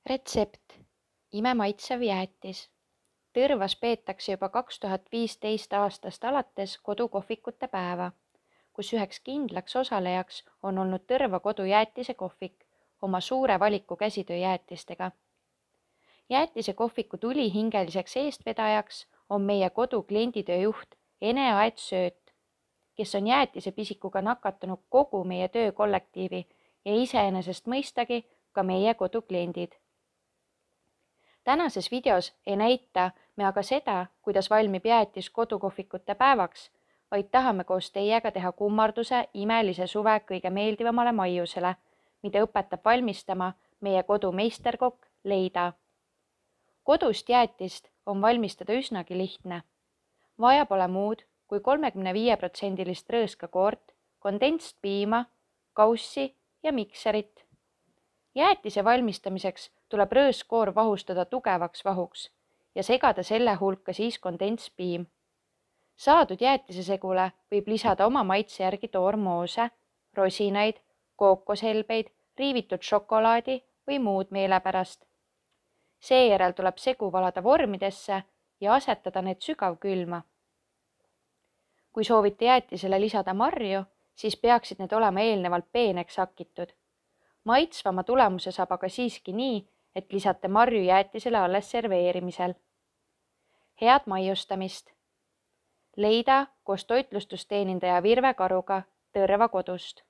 Retsept: imemaitsev jäätis. Tõrvas peetakse juba 2015 aastast alates kodukohvikute päeva, kus üheks kindlaks osalejaks on olnud Tõrva kodujäätise kohvik oma suure valiku käsitööjäätistega. Jäätisekohviku tulihingeliseks eestvedajaks on meie kodu klienditöö juht Ene Aet-Sööt, kes on jäätisepisikuga nakatanud kogu meie töökollektiivi ja iseenesest mõistagi ka meie kodukliendid. Tänases videos ei näita me aga seda, kuidas valmib jäätis kodukohvikute päevaks, vaid tahame koos teiega teha kummarduse imelise suve kõige meeldivamale maiusele, mida õpetab valmistama meie kodu meisterkokk Leida. Kodust jäätist on valmistada üsnagi lihtne. Vaja pole muud kui 35% rõõskakoort, kondentst piima, kaussi ja mikserit. Jäätise valmistamiseks tuleb rõõskoor vahustada tugevaks vahuks ja segada selle hulka siis kondentspiim. Saadud jäätisesegule võib lisada oma maitse järgi toormoose, rosinaid, kookoshelbeid, riivitud šokolaadi või muud meelepärast. Seejärel tuleb segu valada vormidesse ja asetada need sügavkülma. Kui soovite jäätisele lisada marju, siis peaksid need olema eelnevalt peeneks hakitud. Maitsvama tulemuse saab aga siiski nii, et lisate marju jäätisele alles serveerimisel. Head maiustamist! Leida koos toitlustusteenindaja Virve Karuga Tõrva kodust.